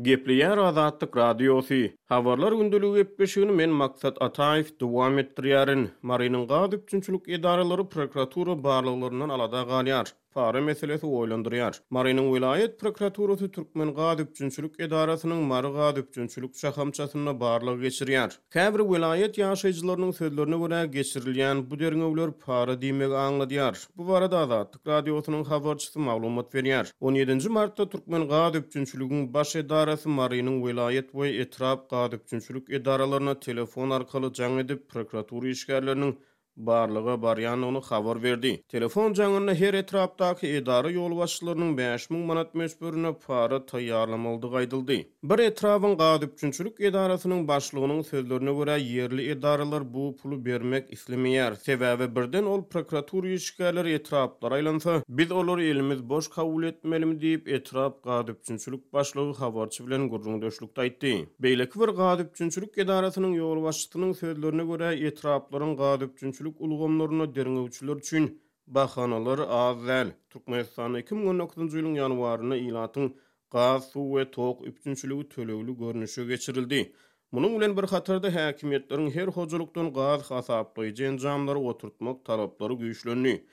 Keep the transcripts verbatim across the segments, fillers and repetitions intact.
Gepleýär Azatlyk Radiosy. Habarlar gündeligi gepleşigini men Maksat Ataýew dowam etdirýärin. Marynyň gaz üpjünçilik edaralary prokuratura barlaglaryndan alada galýar. Para meselesi oýlandyrýar. Marynyň welaýat prokuraturasy Türkmen gaz üpjünçilik edarasynyň Mary gaz üpjünçilik şahamçasynda barlag geçirýär. Käbir welaýat ýaşaýjylarynyň sözlerine görä, geçirilýän bu derňewler para diýmegi aňladýar. Bu barada Azatlyk Radiosynyň habarçysy maglumat berýär. On ýedinji martda Türkmen gaz üpjünçiligiň baş edarasy Marynyň welaýat we etrap gaz üpjünçilik edaralaryna telefon arkaly jaň edip, prokuratura işgärleriniň barlaga barýandygyny habar berdi. Telefon jaňynda her etrapdaky edara ýolbaşçylarynyň bäş müň manat möçberinde para taýýarlamalydygy aýdyldy. Bir etrabyň gaz üpjünçilik edarasynyň başlygynyň sözlerine görä, ýerli edaralar bu puly bermek islemeýär. Sebäbi birden ol prokuratura işgärleri etraplara aýlansa, biz olary elimiz boş kabul etmelimi diýip, etrap gaz üpjünçilik başlygy habarçy bilen gürrüňdeşlikde aýtdy. Beýleki bir gaz üpjünçilik edarasynyň ýolbaşçysynyň sözlerine görä, etraplaryň gaz üpjünçilik ulgamlarynda derňewçiler üçin bahanalar az däl. Türkmenistanda iki müň on dokuzynjy ýylyň ýanwarynda ilatyň gaz, suw we tok üpjünçiligi tölegli görnüşe geçirildi. Munuň bilen bir hatarda häkimiýetleriň her hojalykdan gaz hasaplaýjy enjamlary oturtmak talaplary güýçlendi.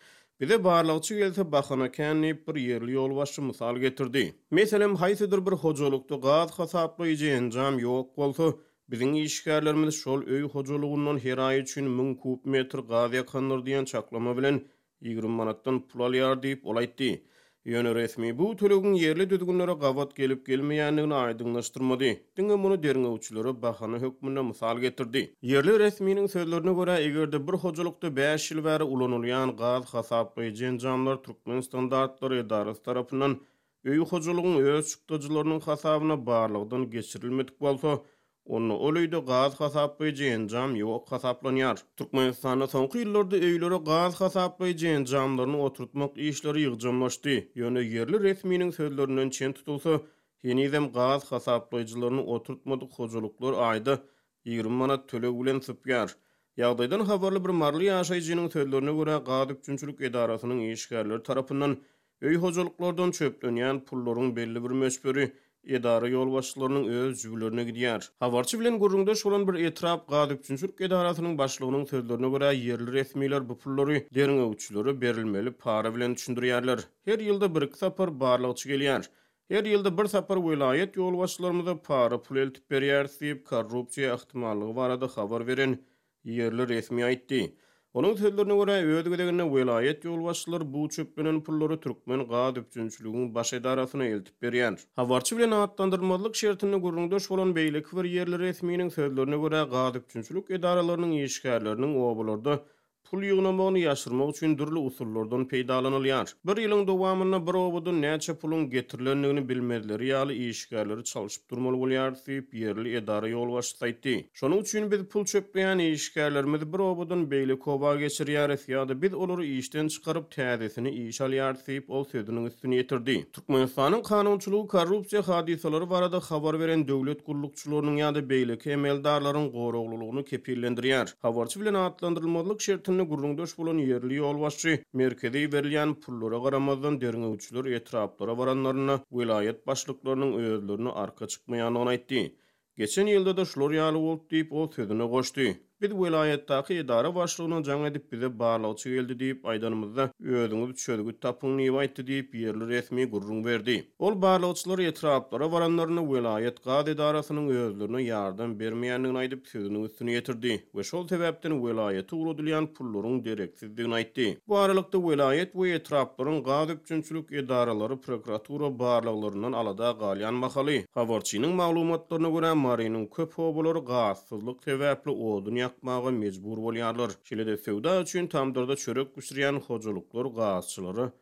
Bize barlagçy gelse bahana kän diýip bir ýerli ýolbaşçy mysal getirdi. Meselem, haýsydyr bir hojalykda gaz hasaplaýjy enjam ýok bolsa, biziň işgärlerimiz şol öý hojalygyndan her aý üçin müň kub metr gaz ýakandyr diýen çaklama bilen ýigrimi manatdan pul alýar diýip ol aýtdy. Ýöne resmi bu tölegiň ýerli düzgünlere gabat gelip gelmeýändigini aýdyňlaşdyrmady. Diňe muny derňewçilere bahana hökmünde mysal getirdi. Ýerli resminiň sözlerine görä, eger-de bir hojalykda bäş ýyl bäri ulanylýan gaz hasaplaýjy enjamlar Türkmen standartlary edarasy tarapyndan öý hojalygyň öz çykdajylarynyň hasabyna barlagdan geçirilmedik bolsa, onda ol öýde gaz hasaplaýjy enjam ýok hasaplanýar. Türkmenistanda soňky ýyllarda öýlere gaz hasaplaýjy enjamlaryny oturtmak işleri ýygjamlaşdy. Ýöne ýerli resminiň sözlerinden çen tutulsa, henizem gaz hasaplaýjylaryny oturtmadyk hojalyklar aýda ýigrimi manat töleg bilen sypýar. Ýagdaýdan habarly bir maryly ýaşaýjynyň sözlerine görä, gaz üpjünçilik edarasynyň işgärleri tarapyndan öý hojalyklardan çöplenýän pullaryň belli bir möçberi edara ýolbaşçylarynyň öz jübülerine gidýär. Habarçy bilen gürrüňdeş bolan bir etrap gaz üpjünçilik edarasynyň başlygynyň sözlerine görä, ýerli resmiler bu pullary derňewçilere berilmeli para bilen düşündirýärler. Her ýylda bir iki sapar barlagçy gelýär. Her ýylda bir sapar welaýat ýolbaşçylarymyza para pul eltip berýäris diýip, korrupsiýa ähtimallygy barada habar beren ýerli resmi aýtdy. Onuň sözlerine görä, öz gezeginde welaýat ýolbaşçylary bu çöplenen pullary Türkmen gaz üpjünçiligiň baş edarasyna eltip berýär. Habarçy bilen atlandyrylmazlyk şertinde gürrüňdeş bolan beýleki bir ýerli resminiň sözlerine görä, gaz üpjünçilik edaralarynyň işgärleriniň obalarda pul ýygnamagyny ýaşyrmak üçin dürli usullardan peýdalanylýar. Bir ýylyň dowamynda bir obadan näçe puluň getirilendigini bilmezleri ýaly işgärleri çalşyp durmaly bolýar diýip, ýerli edara ýolbaşçysy aýtdy. Şonuň üçin biz pul çöpleýän işgärlerimizi bir obadan beýleki oba geçirýäris ýa-da biz olary işden çykaryp täzesini iş alýarys diýip, ol sözüniň üstüni ýetirdi. Türkmenistanyň kanunçylygy korrupsiýa hadysalary barada habar beren döwlet gullukçylarynyň ýa-da beýleki emeldarlaryň goraglylygyny kepillendirýär. Habarçy bilen atlandyrylmazlyk şertinde gürrüňdeş bolan ýerli ýolbaşçy merkezi berilýän pullara garamazdan derňewçiler etraplara baranlarynda welaýat başlyklarynyň özlerine arka çykmaýandygyny aýtdy. Geçen ýylda da şular ýaly boldy diýip, ol sözüne goşdy. Biz welaýatdaky edara başlygyna jaň edip bize barlagçy geldi diýip aýdanymyzda özüňiz çözgüt tapyň diýip aýtdy diýip ýerli resmi gürrüň berdi. Ol barlagçylar etraplara baranlarynda welaýat gaz edarasynyň özlerine ýardam bermeýändigini aýdyp sözüniň üstüni ýetirdi we şol sebäpden welaýata ugradylýan pullaryň dereksizdigini aýtdy. Bu aralykda welaýat we etraplaryň gaz üpjünçilik edaralary prokuratura barlaglaryndan alada galýan mahaly habarçynyň maglumatlaryna görä Marynyň köp obalary gazsyzlyk sebäpli odun ýakmaga mejbur bolýarlar. Şeýle-de söwda üçin tamdyrda çörek bişirýän hojalyklar gazçylara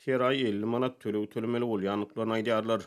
her aý elli manat töleg tölemeli bolýandyklaryny aýdýarlar.